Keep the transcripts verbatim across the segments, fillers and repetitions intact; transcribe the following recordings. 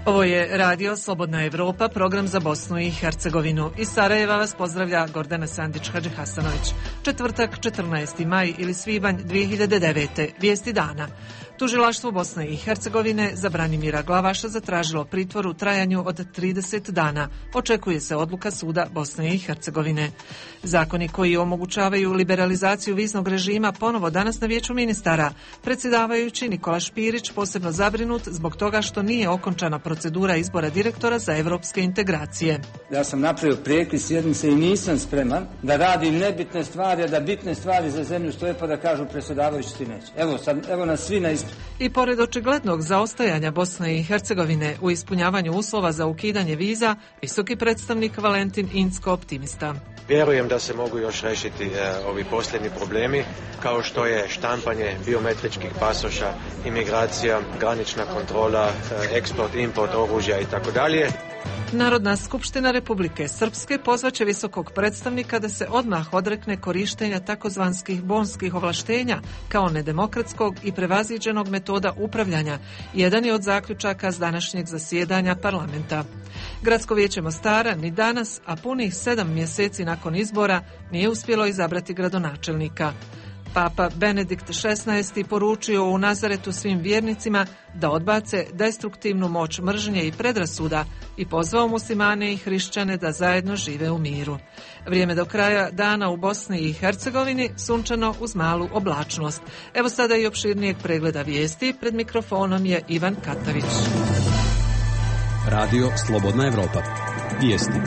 Ovo je Radio Slobodna Evropa, program za Bosnu i Hercegovinu. Iz Sarajeva vas pozdravlja Gordana Sandić-Hadži-Hasanović. Četvrtak, četrnaesti maj ili svibanj dvije hiljade devete. Vijesti dana. Tužilaštvo Bosne i Hercegovine za Branimira Glavaša zatražilo pritvor u trajanju od trideset dana. Očekuje se odluka suda Bosne i Hercegovine. Zakoni koji omogućavaju liberalizaciju viznog režima ponovo danas na Vijeću ministara. Predsjedavajući Nikola Špirić posebno zabrinut zbog toga što nije okončana procedura izbora direktora za evropske integracije. Ja sam napravio prekid sjednice i nisam spreman da radim nebitne stvari, a da bitne stvari za zemlju stoje pa da kažu predsjedavajući ti neće. Evo, sad, evo nas svi na ispred. I pored očiglednog zaostajanja Bosne i Hercegovine u ispunjavanju uslova za ukidanje viza, visoki predstavnik Valentin Incko optimista. Vjerujem da se mogu još riješiti e, ovi posljednji problemi, kao što je štampanje biometričkih pasoša, imigracija, granična kontrola, e, eksport, import oružja i tako dalje. Narodna skupština Republike Srpske pozvaće visokog predstavnika da se odmah odrekne korištenja takozvanskih bonskih ovlaštenja kao nedemokratskog i prevaziđenog metoda upravljanja. Jedan je od zaključaka s današnjeg zasjedanja parlamenta. Gradsko vijeće Mostara ni danas, a punih sedam mjeseci nakon izbora, nije uspjelo izabrati gradonačelnika. Papa Benedikt šesnaesti poručio u Nazaretu svim vjernicima da odbace destruktivnu moć mržnje i predrasuda i pozvao muslimane i hrišćane da zajedno žive u miru. Vrijeme do kraja dana u Bosni i Hercegovini sunčano uz malu oblačnost. Evo sada i opširnijeg pregleda vijesti. Pred mikrofonom je Ivan Katavić. Radio Slobodna Evropa. Vijesti.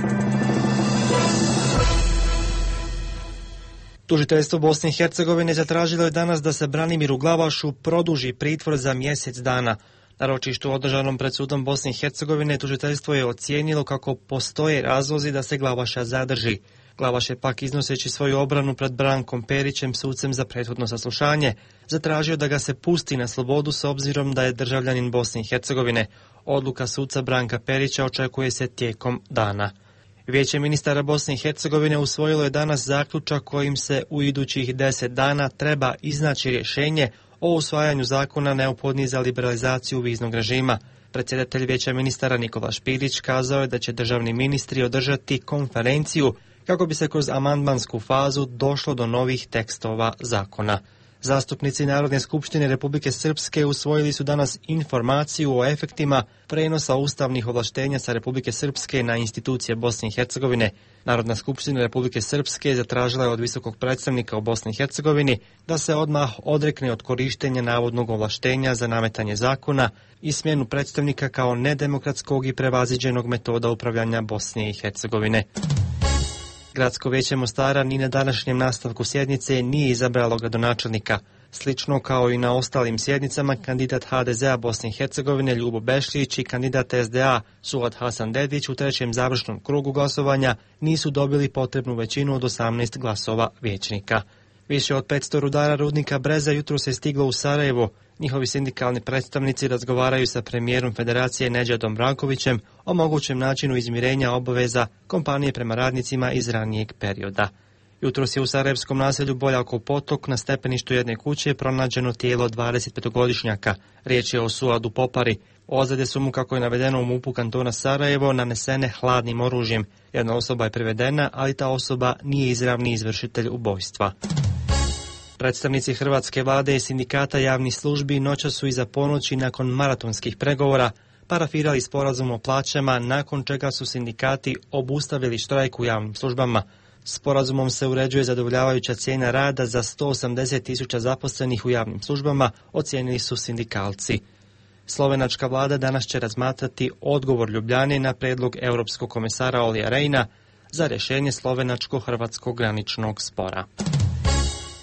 Tužiteljstvo Bosne i Hercegovine zatražilo je danas da se Branimiru Glavašu produži pritvor za mjesec dana. Na ročištu održanom pred sudom Bosne i Hercegovine tužiteljstvo je ocijenilo kako postoje razlozi da se Glavaša zadrži. Glavaš je pak, iznoseći svoju obranu pred Brankom Perićem, sucem za prethodno saslušanje, zatražio da ga se pusti na slobodu s obzirom da je državljanin Bosne i Hercegovine. Odluka suca Branka Perića očekuje se tijekom dana. Vijeće ministara Bosne i Hercegovine usvojilo je danas zaključak kojim se u idućih deset dana treba iznaći rješenje o usvajanju zakona neophodnih za liberalizaciju viznog režima. Predsjedatelj Vijeća ministara Nikola Špirić kazao je da će državni ministri održati konferenciju kako bi se kroz amandmansku fazu došlo do novih tekstova zakona. Zastupnici Narodne skupštine Republike Srpske usvojili su danas informaciju o efektima prenosa ustavnih ovlaštenja sa Republike Srpske na institucije Bosne i Hercegovine. Narodna skupština Republike Srpske zatražila je od visokog predstavnika u Bosni i Hercegovini da se odmah odrekne od korištenja navodnog ovlaštenja za nametanje zakona i smjenu predstavnika kao nedemokratskog i prevaziđenog metoda upravljanja Bosne i Hercegovine. Gradsko vijeće Mostara ni na današnjem nastavku sjednice nije izabralo gradonačelnika. Slično kao i na ostalim sjednicama, kandidat ha de zea Bosne i Hercegovine Ljubo Bešlić i kandidat es de a Suad Hasan Dedić u trećem završnom krugu glasovanja nisu dobili potrebnu većinu od osamnaest glasova vijećnika. Više od petsto rudara rudnika Breza jutros je stiglo u Sarajevo. Njihovi sindikalni predstavnici razgovaraju sa premijerom Federacije Nedžadom Brankovićem o mogućem načinu izmirenja obaveza kompanije prema radnicima iz ranijeg perioda. Jutros je u sarajevskom naselju Boljakov potok na stepeništu jedne kuće pronađeno tijelo dvadesetpetogodišnjaka. Riječ je o Suadu Popari. Ozljede su mu, kako je navedeno u MUP-u kantona Sarajevo, nanesene hladnim oružjem. Jedna osoba je privedena, ali ta osoba nije izravni izvršitelj ubojstva. Predstavnici hrvatske vlade i sindikata javnih službi noćas su iza ponoći nakon maratonskih pregovora parafirali sporazum o plaćama, nakon čega su sindikati obustavili štrajk u javnim službama. Sporazumom se uređuje zadovoljavajuća cijena rada za sto osamdeset tisuća zaposlenih u javnim službama, ocijenili su sindikalci. Slovenačka vlada danas će razmatrati odgovor Ljubljane na prijedlog europskog komesara Olija Rehna za rješenje slovenačko-hrvatskog graničnog spora.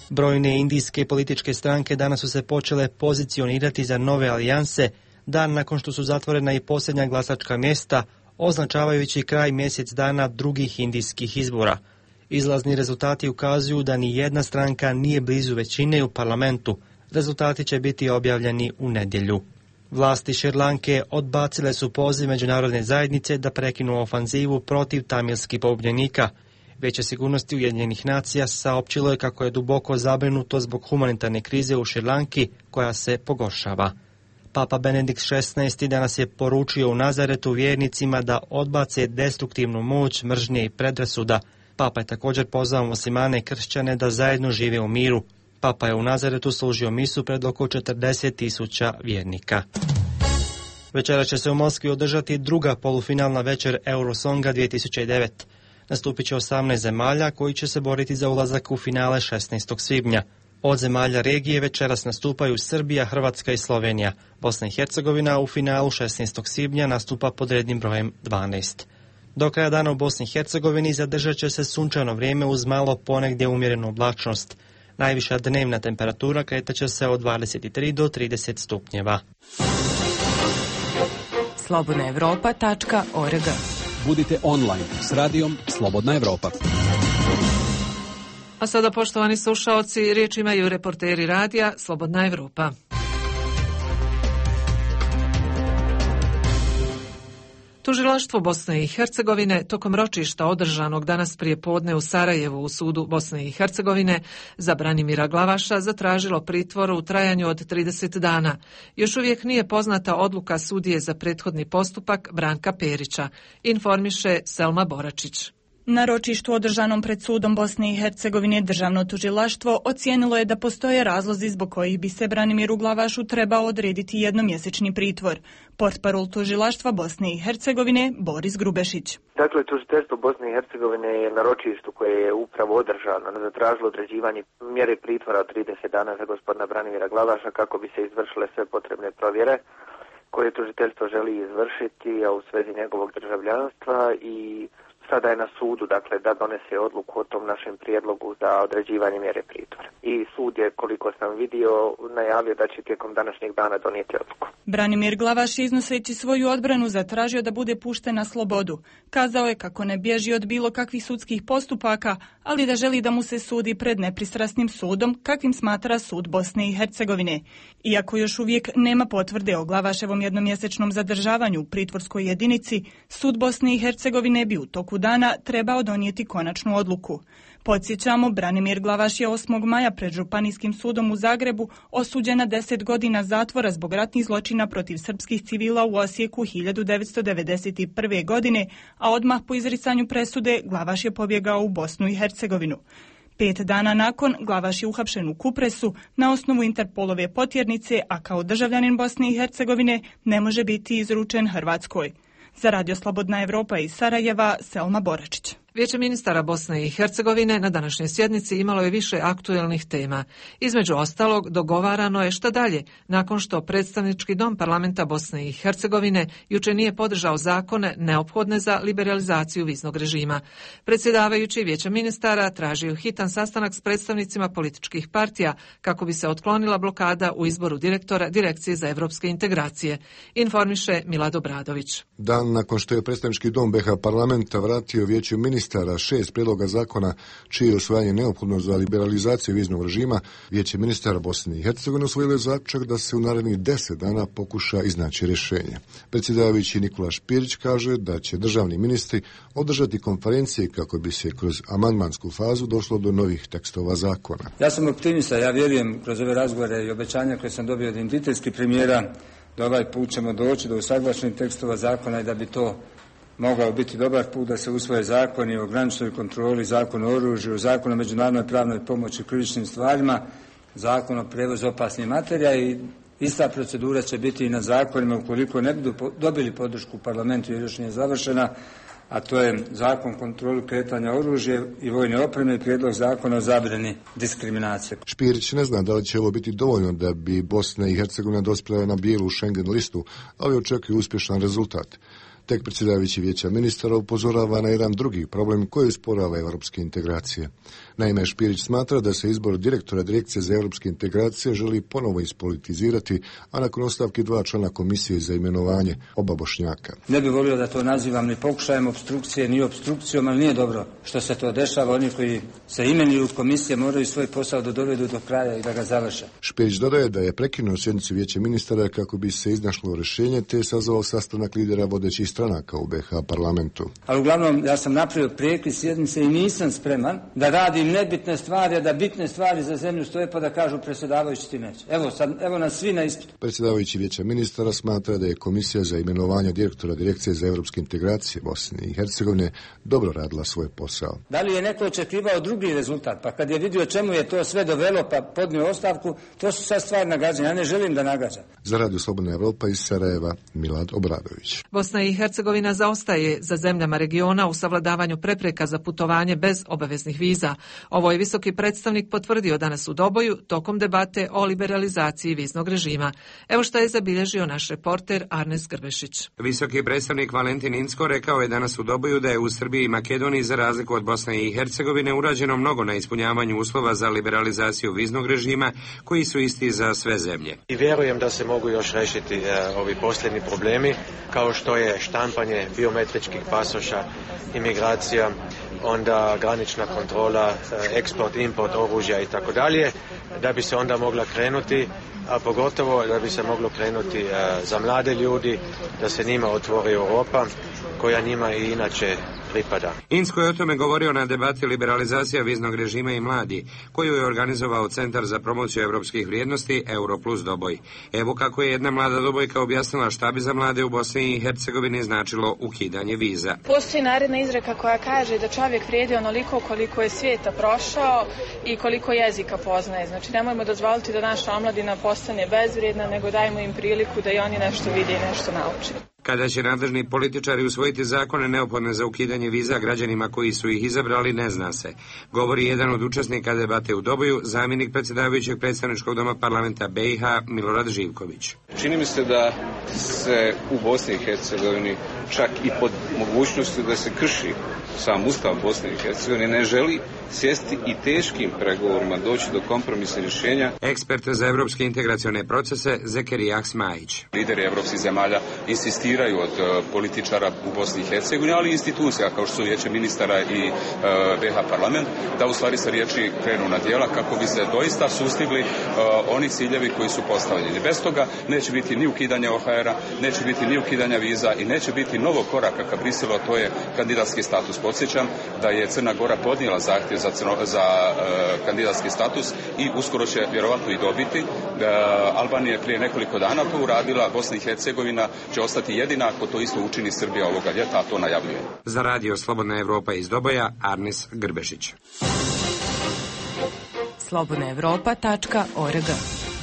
Brojne indijske političke stranke danas su se počele pozicionirati za nove alijanse, dan nakon što su zatvorena i posljednja glasačka mjesta, označavajući kraj mjesec dana drugih indijskih izbora. Izlazni rezultati ukazuju da ni jedna stranka nije blizu većine u parlamentu. Rezultati će biti objavljeni u nedjelju. Vlasti Šrilanke odbacile su poziv međunarodne zajednice da prekinu ofanzivu protiv tamilskih pogubljenika. Vijeće sigurnosti Ujedinjenih nacija saopćilo je kako je duboko zabrinuto zbog humanitarne krize u Šrilanki koja se pogoršava. Papa Benedikt šesnaesti danas je poručio u Nazaretu vjernicima da odbace destruktivnu moć mržnje i predrasuda. Papa je također pozvao muslimane i kršćane da zajedno žive u miru. Papa je u Nazaretu služio misu pred oko četrdeset tisuća vjernika. Večera će se u Moskvi održati druga polufinalna večer Eurosonga dvije tisuće devet. Nastupit će osamnaest zemalja koji će se boriti za ulazak u finale šesnaestog svibnja. Od zemalja regije večeras nastupaju Srbija, Hrvatska i Slovenija. Bosna i Hercegovina u finalu šesnaestog svibnja nastupa pod rednim brojem dvanaest. Do kraja dana u Bosni i Hercegovini zadržat će se sunčano vrijeme uz malo ponegdje umjerenu oblačnost. Najviša dnevna temperatura kretaće se od dvadeset tri do trideset stupnjeva. slobodna europa tačka org. Budite online s radijom Slobodna Evropa. A sada, poštovani slušaoci, riječ imaju reporteri radija Slobodna Evropa. Tužilaštvo Bosne i Hercegovine tokom ročišta održanog danas prije podne u Sarajevu u sudu Bosne i Hercegovine za Branimira Glavaša zatražilo pritvor u trajanju od trideset dana. Još uvijek nije poznata odluka sudije za prethodni postupak Branka Perića, informiše Selma Boračić. Na ročištu održanom pred sudom Bosne i Hercegovine državno tužilaštvo ocijenilo je da postoje razlozi zbog kojih bi se Branimiru Glavašu trebao odrediti jednomjesečni pritvor. Portparol tužilaštva Bosne i Hercegovine Boris Grubešić. Dakle, tužiteljstvo Bosne i Hercegovine je na ročištu koje je upravo održano zatražilo određivanje mjere pritvora od trideset dana za gospodina Branimira Glavaša kako bi se izvršile sve potrebne provjere koje tužiteljstvo želi izvršiti, a u svezi njegovog državljanstva, i sada je na sudu, dakle, da donese odluku o tom našem prijedlogu za određivanje mjere pritvora. I sud je, koliko sam vidio, najavio da će tijekom današnjeg dana donijeti odluku. Branimir Glavaš, iznoseći svoju odbranu, zatražio da bude pušten na slobodu. Kazao je kako ne bježi od bilo kakvih sudskih postupaka, ali da želi da mu se sudi pred nepristrasnim sudom, kakvim smatra sud Bosne i Hercegovine. Iako još uvijek nema potvrde o Glavaševom jednomjesečnom zadržavanju u pritvorskoj jedinici, sud Bosne i Hercegovine bi u toku dana trebao donijeti konačnu odluku. Podsjećamo, Branimir Glavaš je osmog maja pred Županijskim sudom u Zagrebu osuđen na deset godina zatvora zbog ratnih zločina protiv srpskih civila u Osijeku hiljadu devetsto devedeset prve. godine, a odmah po izricanju presude Glavaš je pobjegao u Bosnu i Hercegovinu. Pet dana nakon, Glavaš je uhapšen u Kupresu na osnovu Interpolove potjernice, a kao državljanin Bosne i Hercegovine ne može biti izručen Hrvatskoj. Za Radio Slobodna Evropa iz Sarajeva, Selma Boračić. Vijeće ministara Bosne i Hercegovine na današnjoj sjednici imalo je više aktuelnih tema. Između ostalog, dogovarano je šta dalje, nakon što predstavnički dom parlamenta Bosne i Hercegovine juče nije podržao zakone neophodne za liberalizaciju viznog režima. Predsjedavajući Vijeća ministara tražio hitan sastanak s predstavnicima političkih partija kako bi se otklonila blokada u izboru direktora Direkcije za evropske integracije, informiše Milad Obradović. Dan nakon što je predstavnički dom B H parlamenta vratio Vijeću ministara šest prijedloga zakona čije je usvajanje neophodno za liberalizaciju viznog režima, Vijeće ministara Bosne i Hercegovine usvojilo je zaključak da se u narednih deset dana pokuša iznaći rješenje. Predsjedavajući Nikola Špirić kaže da će državni ministri održati konferencije kako bi se kroz amandmansku fazu došlo do novih tekstova zakona. Ja sam optimista, ja vjerujem kroz ove razgovore i obećanja koje sam dobio od identitetskih premijera da ovaj put ćemo doći do usaglašenih tekstova zakona i da bi to mogao biti dobar put da se usvoje zakoni o graničnoj kontroli, zakon o oružju, zakon o međunarodnoj pravnoj pomoći u krivičnim stvarima, zakon o prijevozu opasnih materija, i ista procedura će biti i na zakonima ukoliko ne budu dobili podršku u parlamentu jer još nije završena, a to je zakon o kontroli kretanja oružja i vojne opreme i prijedlog zakona o zabrani diskriminacije. Špirić ne zna da li će ovo biti dovoljno da bi Bosna i Hercegovina dospjela na bijelu Schengen listu, ali očekuje uspješan rezultat. Tek predsjedavajući Vijeća ministara upozorava na jedan drugi problem koji usporava europske integracije. Naime, Špirić smatra da se izbor direktora Direkcije za europske integracije želi ponovo ispolitizirati, a nakon ostavke dva člana komisije za imenovanje, oba Bošnjaka. Ne bih volio da to nazivam ni pokušajem obstrukcije, ni obstrukcijom, ali nije dobro što se to dešava. Oni koji se imenuju komisije moraju svoj posao da dovedu do kraja i da ga završe. Špirić dodaje da je prekinuo sjednicu Vijeća ministara kako bi se iznašlo rješenje, te je sazvao sastanak lidera vodećih stranaka u B H parlamentu. Ali uglavnom ja sam napravio prekid sjednice i nisam spreman da radim nebitne stvari, a da bitne stvari za zemlju stoje pa da kažu predsjedavajući ti neće. Evo, sad, evo nas svi na ispitu. Predsjedavajući Vijeća ministara smatra da je Komisija za imenovanje direktora Direkcije za europske integracije Bosne i Hercegovine dobro radila svoj posao. Da li je neko očekivao drugi rezultat? Pa kad je vidio čemu je to sve dovelo pa podnio ostavku, to su sad stvari nagađanja. Ja ne želim da nagađam. Za Radio Slobodna Evropa iz Sarajeva, Milad Obradović. Bosna i Hercegovina zaostaje za zemljama regiona u savladavanju prepreka za putovanje bez obaveznih viza. Ovo je visoki predstavnik potvrdio danas u Doboju tokom debate o liberalizaciji viznog režima. Evo što je zabilježio naš reporter Arnes Grbešić. Visoki predstavnik Valentin Incko rekao je danas u Doboju da je u Srbiji i Makedoniji za razliku od Bosne i Hercegovine urađeno mnogo na ispunjavanju uslova za liberalizaciju viznog režima koji su isti za sve zemlje. I vjerujem da se mogu još riješiti e, ovi posljednji problemi kao što je štampanje biometričkih pasoša, imigracija, onda granična kontrola, eksport, import oružja i tako dalje, da bi se onda mogla krenuti, a pogotovo da bi se moglo krenuti za mlade ljudi, da se njima otvori Europa koja njima i inače pripada. Incko je o tome govorio na debati liberalizacija viznog režima i mladi, koju je organizovao Centar za promociju europskih vrijednosti Europlus Doboj. Evo kako je jedna mlada Dobojka objasnila šta bi za mlade u Bosni i Hercegovini značilo ukidanje viza. Postoji naredna izreka koja kaže da čovjek vrijedi onoliko koliko je svijeta prošao i koliko jezika poznaje. Znači nemojmo dozvoliti da naša omladina postane bezvrijedna, nego dajmo im priliku da i oni nešto vide i nešto nauče. Kada će nadležni političari usvojiti zakone neophodne za ukidanje viza građanima koji su ih izabrali, ne zna se. Govori jedan od učesnika debate u Doboju, zamjenik predsjedavajućeg predstavničkog doma parlamenta B i H Milorad Živković. Čini mi se da se u Bosni i Hercegovini čak i pod mogućnosti da se krši sam ustav Bosne i Hercegovine ne želi sjesti i teškim pregovorima doći do kompromisnih rješenja. Ekspert za evropske integracione procese Zekerija Smajić. Lideri evropskih zemalja insistiraju od uh, političara u Bosni i Hercegovini, ali i institucija kao što su Vijeće ministara i uh, B H parlament, da u stvari sa riječi krenu na djela kako bi se doista sustigli uh, oni ciljevi koji su postavljeni. Bez toga neće biti ni ukidanja O H R-a, neće biti ni ukidanja viza i neće biti novog koraka ka Briselu, a to je kandidatski status. Podsjećam da je Crna Gora podnijela zahtjev za, crno, za uh, kandidatski status i uskoro će vjerovatno i dobiti. Uh, Albanija je prije nekoliko dana to uradila, Bosna i Hercegovina će ostati jedina ako to isto učini Srbija ovoga ljeta, a to najavljuje. Za Radio Slobodna Evropa iz Doboja, Arnes Grbešić. slobodna evropa tačka org.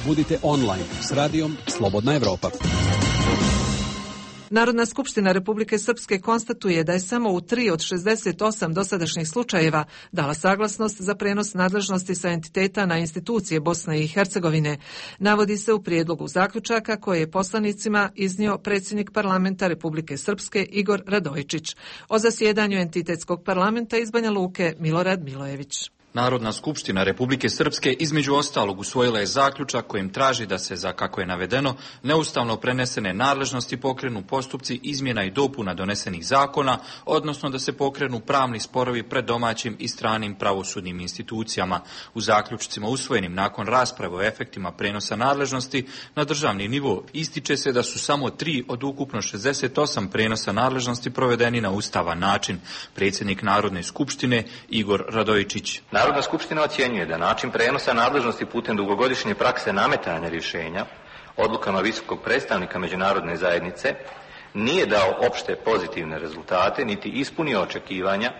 Budite online s radijom Slobodna Evropa. Narodna skupština Republike Srpske konstatuje da je samo u tri od šezdeset osam dosadašnjih slučajeva dala saglasnost za prenos nadležnosti sa entiteta na institucije Bosne i Hercegovine. Navodi se u prijedlogu zaključaka koje je poslanicima iznio predsjednik parlamenta Republike Srpske Igor Radojičić. O zasjedanju entitetskog parlamenta iz Banja Luke Milorad Milojević. Narodna skupština Republike Srpske između ostalog usvojila je zaključak kojim traži da se, za kako je navedeno, neustavno prenesene nadležnosti pokrenu postupci izmjena i dopuna donesenih zakona, odnosno da se pokrenu pravni sporovi pred domaćim i stranim pravosudnim institucijama. U zaključcima usvojenim nakon rasprave o efektima prenosa nadležnosti na državni nivo ističe se da su samo tri od ukupno šezdeset osam prenosa nadležnosti provedeni na ustavan način. Predsjednik Narodne skupštine Igor Radojičić. Narodna skupština ocjenjuje da način prenosa nadležnosti putem dugogodišnje prakse nametanja rješenja odlukama visokog predstavnika međunarodne zajednice nije dao opšte pozitivne rezultate niti ispunio očekivanja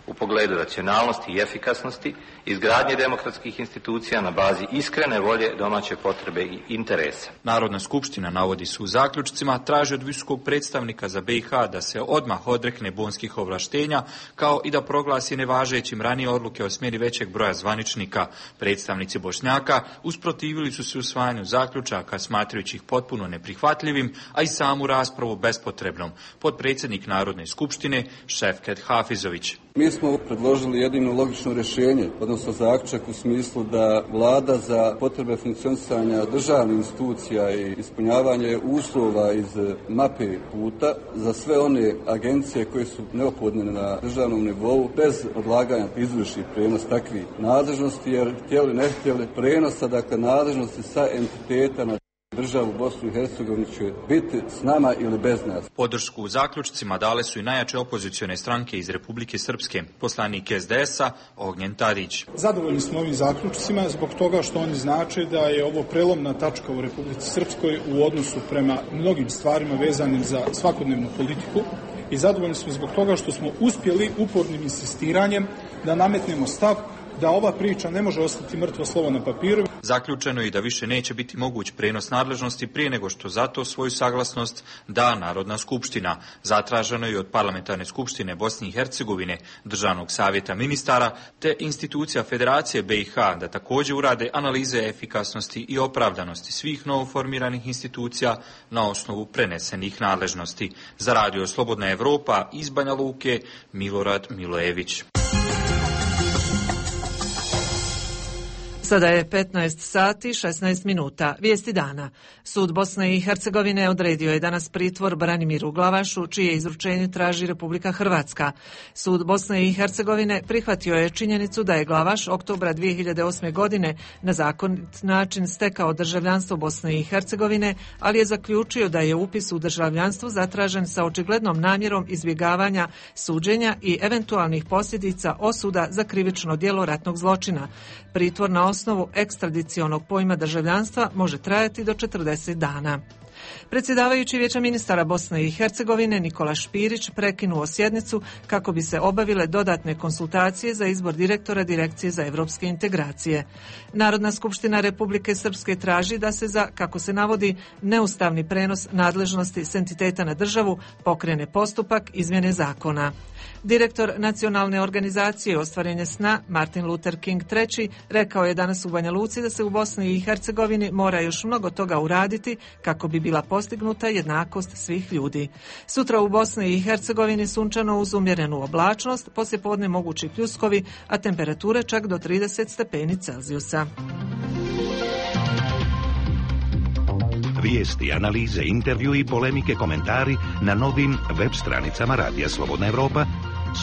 u pogledu racionalnosti i efikasnosti, izgradnje demokratskih institucija na bazi iskrene volje, domaće potrebe i interesa. Narodna skupština, navodi se u zaključcima, traži od visokog predstavnika za B i H da se odmah odrekne bonskih ovlaštenja, kao i da proglasi nevažećim ranije odluke o smjeni većeg broja zvaničnika. Predstavnici Bošnjaka usprotivili su se usvajanju zaključaka, smatrajući ih potpuno neprihvatljivim, a i samu raspravu bespotrebnom. Potpredsjednik Narodne skupštine Šefket Hafizović. Mi smo predložili jedino logično rješenje, odnosno zaključak u smislu da vlada za potrebe funkcionisanja državnih institucija i ispunjavanje uslova iz mape puta za sve one agencije koje su neophodne na državnom nivou bez odlaganja izvrši prenos takvih nadležnosti, jer htjeli ne htjeli prenosa, dakle nadležnosti sa entiteta na državu Bosnu i Hercegovinu će biti s nama ili bez nas. Podršku u zaključcima dale su i najjače opozicione stranke iz Republike Srpske, poslanik es de es a Ognjen Tadić. Zadovoljni smo ovim zaključcima zbog toga što oni znače da je ovo prelomna tačka u Republici Srpskoj u odnosu prema mnogim stvarima vezanim za svakodnevnu politiku i zadovoljni smo zbog toga što smo uspjeli upornim insistiranjem da nametnemo stav da ova priča ne može ostati mrtvo slovo na papiru. Zaključeno je i da više neće biti moguć prenos nadležnosti prije nego što za to svoju saglasnost da Narodna skupština. Zatraženo je od Parlamentarne skupštine Bosne i Hercegovine, Državnog savjeta ministara te institucija Federacije be i ha da također urade analize efikasnosti i opravdanosti svih novoformiranih institucija na osnovu prenesenih nadležnosti. Za Radio Slobodna Evropa iz Banja Luke, Milorad Milojević. Sada je petnaest sati šesnaest minuta. Vijesti dana. Sud Bosne i Hercegovine odredio je danas pritvor Branimiru Glavašu, čije izručenje traži Republika Hrvatska. Sud Bosne i Hercegovine prihvatio je činjenicu da je Glavaš oktobra dvije hiljade osme. godine na zakonit način stekao državljanstvo Bosne i Hercegovine, ali je zaključio da je upis u državljanstvo zatražen sa očiglednom namjerom izbjegavanja suđenja i eventualnih posljedica osuda za krivično djelo ratnog zločina. Pritvor na osnovu ekstradicionog pojma državljanstva može trajati do četrdeset dana. Predsjedavajući Vijeća ministara Bosne i Hercegovine Nikola Špirić prekinuo sjednicu kako bi se obavile dodatne konsultacije za izbor direktora Direkcije za evropske integracije. Narodna skupština Republike Srpske traži da se za, kako se navodi, neustavni prenos nadležnosti s entiteta na državu pokrene postupak izmjene zakona. Direktor nacionalne organizacije Ostvarenje sna Martin Luther King treći rekao je danas u Banja Luci da se u Bosni i Hercegovini mora još mnogo toga uraditi kako bi bila postignuta jednakost svih ljudi. Sutra u Bosni i Hercegovini sunčano uz umjerenu oblačnost, poslijepodne mogući pljuskovi, a temperature čak do trideset stepeni Celzijusa. Vijesti, analize, intervju i polemike, komentari na novim web stranicama Radija Slobodna Evropa,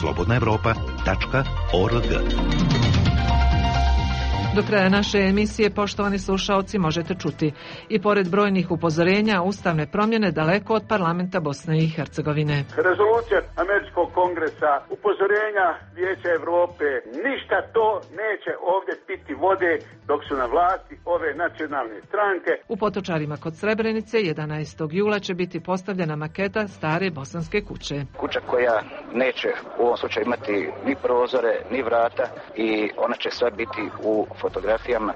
slobodna evropa tačka org. Do kraja naše emisije, poštovani slušaoci, možete čuti i pored brojnih upozorenja, ustavne promjene daleko od parlamenta Bosne i Hercegovine. Rezolucija Američkog kongresa, upozorenja Vijeća Evrope, ništa to neće ovdje piti vode dok su na vlasti ove nacionalne stranke. U Potočarima kod Srebrenice jedanaestog jula će biti postavljena maketa stare bosanske kuće. Kuća koja neće u ovom slučaju imati ni prozore, ni vrata i ona će sve biti u fotografijama.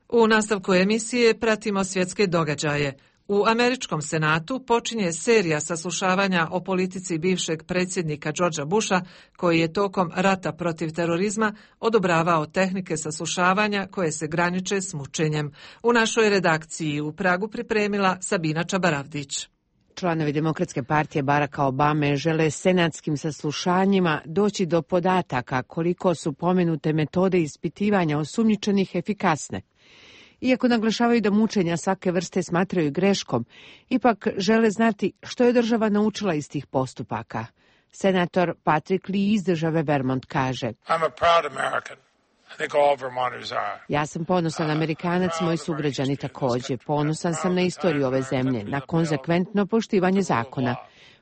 U nastavku emisije pratimo svjetske događaje. U Američkom senatu počinje serija saslušavanja o politici bivšeg predsjednika Georgea Busha, koji je tokom rata protiv terorizma odobravao tehnike saslušavanja koje se graniče s mučenjem. U našoj redakciji u Pragu pripremila Sabina Čabaravdić. Članovi Demokratske partije Baracka Obame žele senatskim saslušanjima doći do podataka koliko su pomenute metode ispitivanja osumnjičenih efikasne. Iako naglašavaju da mučenja svake vrste smatraju greškom, ipak žele znati što je država naučila iz tih postupaka. Senator Patrick Lee iz države Vermont kaže: I'm a proud American. I think all Vermonters are. Ja sam ponosan Amerikanac, moji sugrađani također. Ponosan sam na istoriju ove zemlje, na konzekventno poštivanje zakona.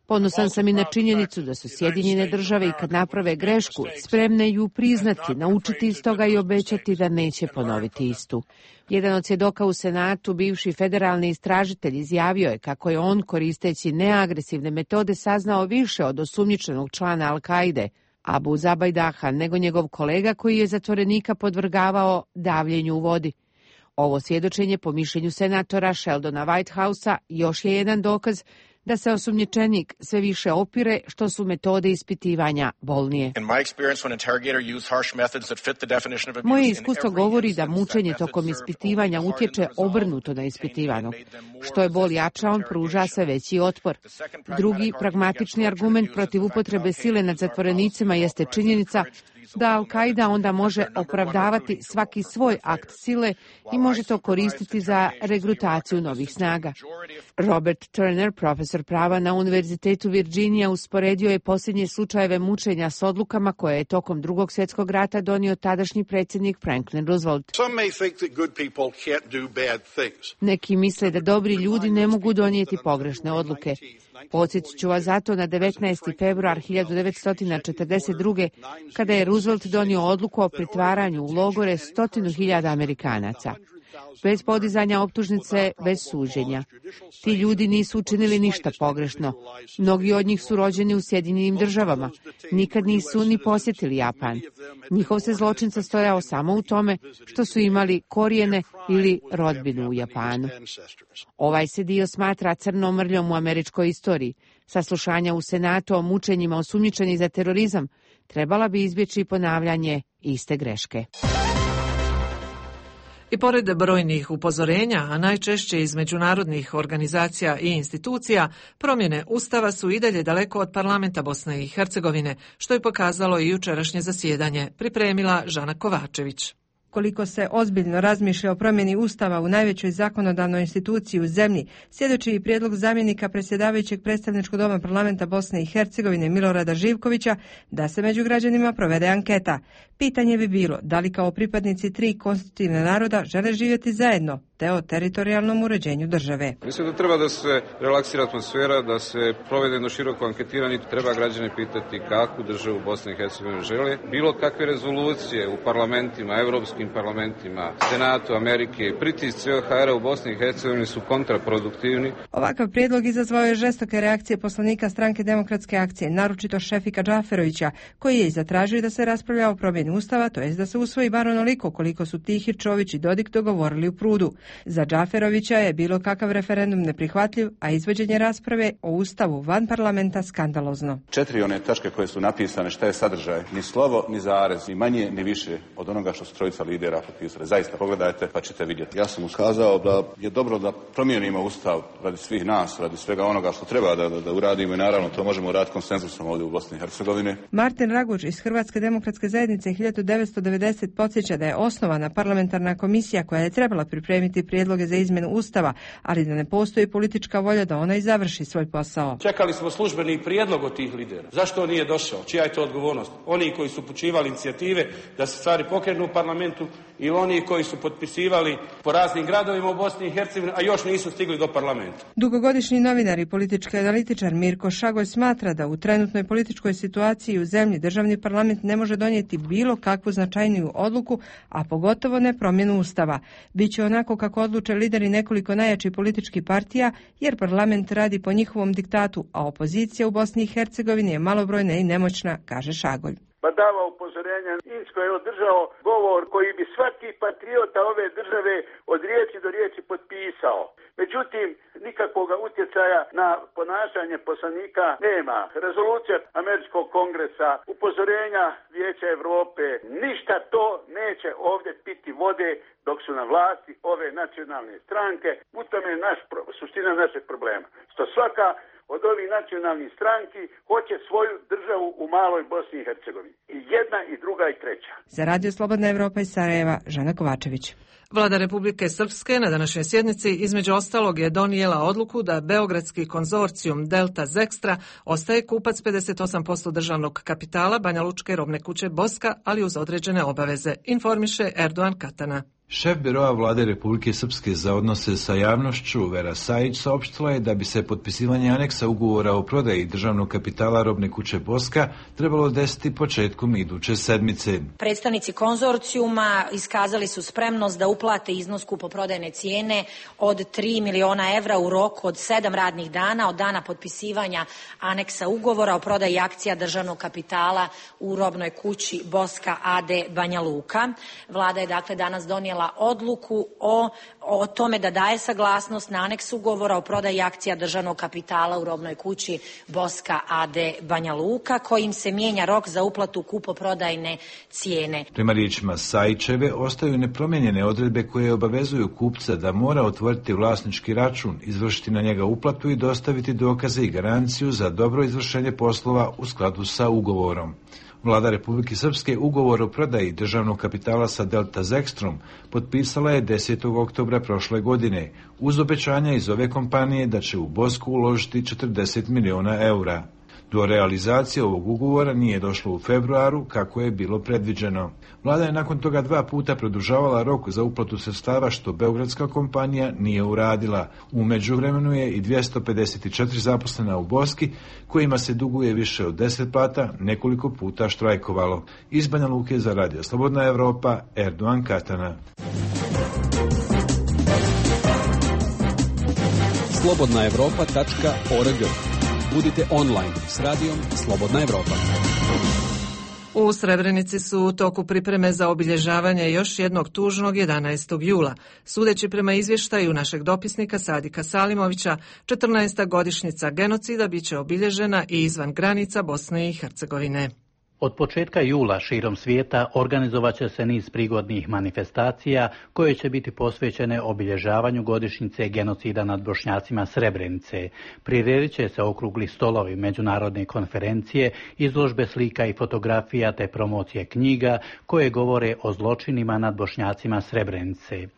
Ponosan sam i na činjenicu da su Sjedinjene države i kad naprave grešku spremne ju priznati, naučiti iz toga i obećati da neće ponoviti istu. Jedan od svjedoka u Senatu, bivši federalni istražitelj, izjavio je kako je on, koristeći neagresivne metode, saznao više od osumnjičenog člana Al-Kaide, Abu Zabajdaha, nego njegov kolega koji je zatvorenika podvrgavao davljenju u vodi. Ovo svjedočenje, po mišljenju senatora Sheldona Whitehousea, još je jedan dokaz da se osumnjičenik sve više opire što su metode ispitivanja bolnije. Moje iskustvo govori da mučenje tokom ispitivanja utječe obrnuto na ispitivanog. Što je bol jača, on pruža sve veći otpor. Drugi pragmatični argument protiv upotrebe sile nad zatvorenicima jeste činjenica da Al-Qaida onda može opravdavati svaki svoj akt sile i može to koristiti za regrutaciju novih snaga. Robert Turner, profesor prava na Univerzitetu Virginia, usporedio je posljednje slučajeve mučenja s odlukama koje je tokom Drugog svjetskog rata donio tadašnji predsjednik Franklin Roosevelt. Neki misle da dobri ljudi ne mogu donijeti pogrešne odluke. Podsjetit ću vas zato na devetnaesti februar hiljadu devetsto četrdeset druge. kada je Roosevelt donio odluku o pritvaranju u logore stotinu hiljada Amerikanaca. Bez podizanja optužnice, bez suđenja. Ti ljudi nisu učinili ništa pogrešno. Mnogi od njih su rođeni u Sjedinjenim državama. Nikad nisu ni posjetili Japan. Njihov se zločin sastojao samo u tome što su imali korijene ili rodbinu u Japanu. Ovaj se dio smatra crnom mrljom u američkoj istoriji. Saslušanja u Senatu o mučenjima osumnjičenih za terorizam trebala bi izbjeći ponavljanje iste greške. I pored brojnih upozorenja, a najčešće iz međunarodnih organizacija i institucija, promjene Ustava su i dalje daleko od parlamenta Bosne i Hercegovine, što je pokazalo i jučerašnje zasjedanje, pripremila Žana Kovačević. Koliko se ozbiljno razmišlja o promjeni Ustava u najvećoj zakonodavnoj instituciji u zemlji, svjedoči i prijedlog zamjenika predsjedavajućeg predstavničkog doma parlamenta Bosne i Hercegovine Milorada Živkovića da se među građanima provede anketa. Pitanje bi bilo da li kao pripadnici tri konstitutivna naroda žele živjeti zajedno, te o teritorijalnom uređenju države. Mislim da treba da se relaksira atmosfera, da se provede jedno široko anketiranje. Treba građane pitati kakvu državu Bosne i Hercegovine žele. Bilo kakve rezolucije u parlamentima, evropskim parlamentima, Senatu Amerike i pritisci O H R-a u Bosni i Hercegovini su kontraproduktivni. Ovakav prijedlog izazvao je žestoke reakcije poslanika Stranke demokratske akcije, naročito Šefika Džaferovića, koji je i zatražio da se raspravlja o promjeni Ustava, to jest da se usvoji bar onoliko koliko su Tihir, Čović i Dodik dogovorili u Prudu. Za Džaferovića je bilo kakav referendum neprihvatljiv, a izvođenje rasprave o Ustavu van parlamenta skandalozno. Četiri one tačke koje su napisane, šta je sadržaj, ni slovo, ni zarez, ni manje, ni više od onoga što su trojica lidera potpisali. Zaista, pogledajte pa ćete vidjeti. Ja sam ukazao da je dobro da promijenimo Ustav radi svih nas, radi svega onoga što treba da, da, da uradimo i naravno to možemo uraditi konsenzusom ovdje u Bosni i Hercegovini. Martin Raguž iz Hrvatske demokratske zajednice hiljadu devetsto devedeset podsjeća da je osnovana parlamentarna komisija koja je trebala pripremiti prijedloge za izmjenu Ustava, ali da ne postoji politička volja da ona i završi svoj posao. Čekali smo službeni prijedlog od tih lidera. Zašto on nije došao? Čija je to odgovornost? Oni koji su upućivali inicijative da se stvari pokrenu u parlamentu ili oni koji su potpisivali po raznim gradovima u Bosni i Hercegovini, a još nisu stigli do parlamenta. Dugogodišnji novinar i politički analitičar Mirko Šagoj smatra da u trenutnoj političkoj situaciji u zemlji državni parlament ne može donijeti bilo kakvu značajniju odluku, a pogotovo ne promjenu Ustava. Biće onako kako odluče lideri nekoliko najjačih političkih partija, jer parlament radi po njihovom diktatu, a opozicija u Bosni i Hercegovini je malobrojna i nemoćna, kaže Šagolj. Pa dava upozorenja. Insko je održao govor koji bi svaki patriota ove države od riječi do riječi potpisao. Međutim, nikakvog utjecaja na ponašanje poslanika nema. Rezolucija Američkog kongresa, upozorenja Vijeća Europe, ništa to neće ovdje piti vode dok su na vlasti ove nacionalne stranke. U tome je naš, suština našeg problema. Što svaka od ovih nacionalnih stranki hoće svoju državu u maloj Bosni i Hercegovini. I jedna, i druga, i treća. Za Radio Slobodna Evropa iz Sarajeva, Žana Kovačević. Vlada Republike Srpske na današnjoj sjednici između ostalog je donijela odluku da beogradski konzorcijum Delta Zekstra ostaje kupac pedeset osam posto državnog kapitala Banjalučke robne kuće Boska, ali uz određene obaveze, informiše Erdogan Katana. Šef biroa Vlade Republike Srpske za odnose sa javnošću Vera Sajić saopštila je da bi se potpisivanje aneksa ugovora o prodaji državnog kapitala robne kuće Boska trebalo desiti početkom iduće sedmice. Predstavnici konzorcijuma iskazali su spremnost da uplate iznos kupoprodajne cijene od tri miliona evra u roku od sedam radnih dana od dana potpisivanja aneksa ugovora o prodaji akcija državnog kapitala u robnoj kući Boska A D Banja Luka. Vlada je dakle danas donijela odluku o, o tome da daje saglasnost na aneks ugovora o prodaji akcija državnog kapitala u robnoj kući Boska A D Banja Luka, kojim se mijenja rok za uplatu kupoprodajne cijene. Prema riječima Sajićeve ostaju nepromijenjene odredbe koje obavezuju kupca da mora otvoriti vlasnički račun, izvršiti na njega uplatu i dostaviti dokaze i garanciju za dobro izvršenje poslova u skladu sa ugovorom. Vlada Republike Srpske ugovor o prodaji državnog kapitala sa Delta Zekstrom potpisala je desetog oktobra prošle godine, uz obećanja iz ove kompanije da će u Bosku uložiti četrdeset miliona eura. Do realizacije ovog ugovora nije došlo u februaru kako je bilo predviđeno. Vlada je nakon toga dva puta produžavala rok za uplatu sredstava što beogradska kompanija nije uradila. U međuvremenu je i dvjesto pedeset četiri zaposlena u Boski, kojima se duguje više od deset plata, nekoliko puta štrajkovalo. Iz Banja Luke za Radio Slobodna Evropa, Erdogan Katana. slobodna evropa tačka org. Budite online s radijom Slobodna Evropa. U Srebrenici su u toku pripreme za obilježavanje još jednog tužnog jedanaestog jula. Sudeći prema izvještaju našeg dopisnika Sadika Salimovića, četrnaesta godišnjica genocida biće obilježena i izvan granica Bosne i Hercegovine. Od početka jula širom svijeta organizovat će se niz prigodnih manifestacija koje će biti posvećene obilježavanju godišnjice genocida nad Bošnjacima Srebrenice. Priredit će se okrugli stolovi, međunarodne konferencije, izložbe slika i fotografija te promocije knjiga koje govore o zločinima nad Bošnjacima Srebrenice.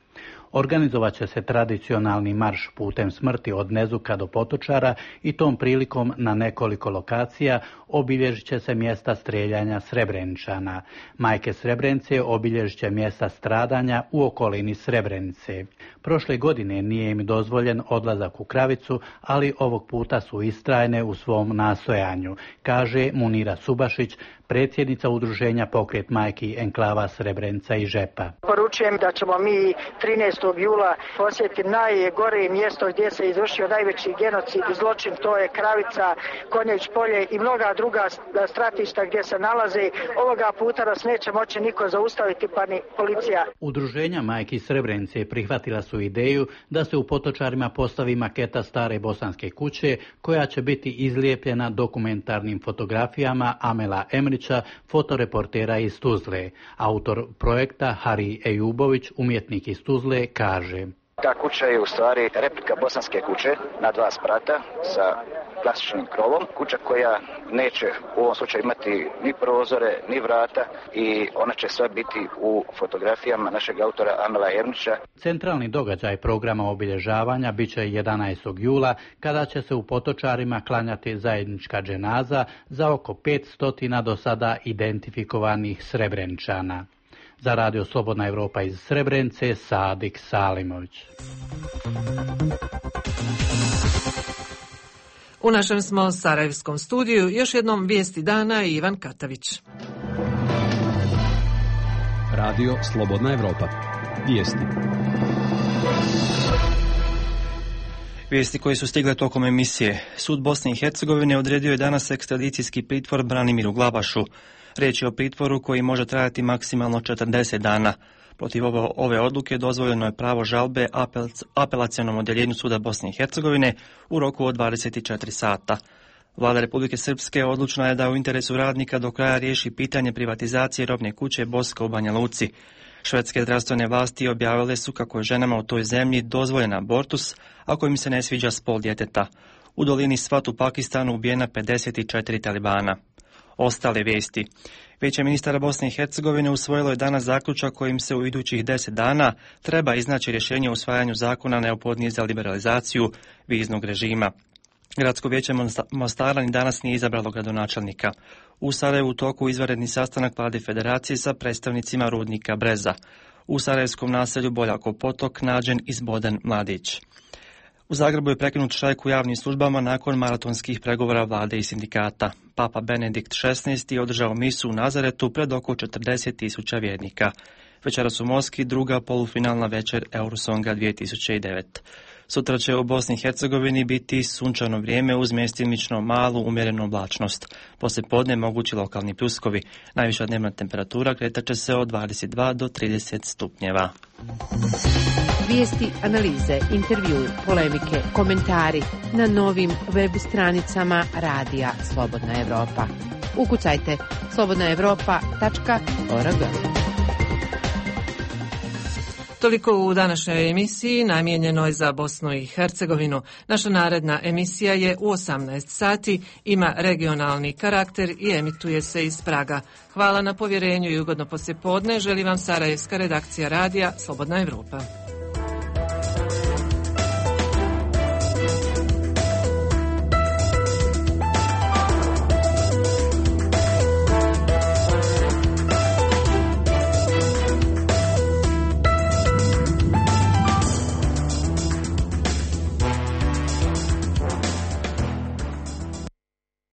Organizovat će se tradicionalni marš putem smrti od Nezuka do Potočara i tom prilikom na nekoliko lokacija obilježit će se mjesta streljanja Srebreničana. Majke Srebrenice obilježit će mjesta stradanja u okolini Srebrenice. Prošle godine nije im dozvoljen odlazak u Kravicu, ali ovog puta su istrajne u svom nastojanju, kaže Munira Subašić, predsjednica udruženja Pokret majki enklava Srebrenica i Žepa. Poručujem da ćemo mi trinaestog jula posjetiti najgore mjesto gdje se izvršio najveći genocid i zločin, to je Kravica, Konjević polje i mnoga druga stratišta gdje se nalaze. Ovoga puta nas neće moći niko zaustaviti, pa ni policija. Udruženja majki Srebrenice prihvatila su ideju da se u Potočarima postavi maketa stare bosanske kuće koja će biti izlijepljena dokumentarnim fotografijama Amela Emrića, fotoreportera iz Tuzle. Autor projekta Hari Ejubović, umjetnik iz Tuzle, kaže: Ta kuća je u stvari replika bosanske kuće na dva sprata sa klasičnim krovom. Kuća koja neće u ovom slučaju imati ni prozore, ni vrata i ona će sve biti u fotografijama našeg autora Amela Ernića. Centralni događaj programa obilježavanja bit će jedanaestog jula kada će se u Potočarima klanjati zajednička dženaza za oko petsto do sada identifikovanih Srebreničana. Za Radio Slobodna Evropa iz Srebrenice, Sadik Salimović. U našem smo sarajevskom studiju još jednom vijesti dana i Ivan Katavić. Radio Slobodna Evropa. Vijesti. Vijesti koje su stigle tokom emisije. Sud Bosne i Hercegovine odredio je danas ekstradicijski pritvor Branimiru Glavašu. Riječ je o pritvoru koji može trajati maksimalno četrdeset dana. Protiv ove odluke dozvoljeno je pravo žalbe apelacionom odjeljenju Suda Bosne i Hercegovine u roku od dvadeset četiri sata. Vlada Republike Srpske odlučna je da u interesu radnika do kraja riješi pitanje privatizacije robne kuće Boska u Banja Luci. Švedske zdravstvene vlasti objavile su kako je ženama u toj zemlji dozvoljen abortus ako im se ne sviđa spol djeteta. U dolini Svat u Pakistanu ubijena pedeset četiri talibana. Ostale vijesti. Vijeće ministara Bosne i Hercegovine usvojilo je danas zaključak kojim se u idućih deset dana treba iznaći rješenje o usvajanju zakona neophodnije za liberalizaciju viznog režima. Gradsko vijeće Mostara ni danas nije izabralo gradonačelnika. U Sarajevu u toku izvanredni sastanak Vlade Federacije sa predstavnicima rudnika Breza. U sarajevskom naselju Boljakov potok nađen izboden mladić. U Zagrebu je prekinut štrajk u javnim službama nakon maratonskih pregovora vlade i sindikata. Papa Benedikt šesnaesti je održao misu u Nazaretu pred oko četrdeset tisuća vjernika. Večeras u Moskvi druga polufinalna večer Eurosonga dvije tisuće devet. Sutra će u Bosni i Hercegovini biti sunčano vrijeme uz mjestimično malu umjerenu oblačnost. Poslije podne mogući lokalni pljuskovi. Najviša dnevna temperatura kretat će se od dvadeset dva do trideset stupnjeva. Vijesti, analize, intervju, polemike, komentari na novim web stranicama Radija Slobodna Evropa. Ukucajte slobodna evropa tačka org. Toliko u današnjoj emisiji namijenjenoj za Bosnu i Hercegovinu. Naša naredna emisija je u osamnaest sati, ima regionalni karakter i emituje se iz Praga. Hvala na povjerenju i ugodno poslijepodne. Želim vam sarajevska redakcija radija Slobodna Evropa.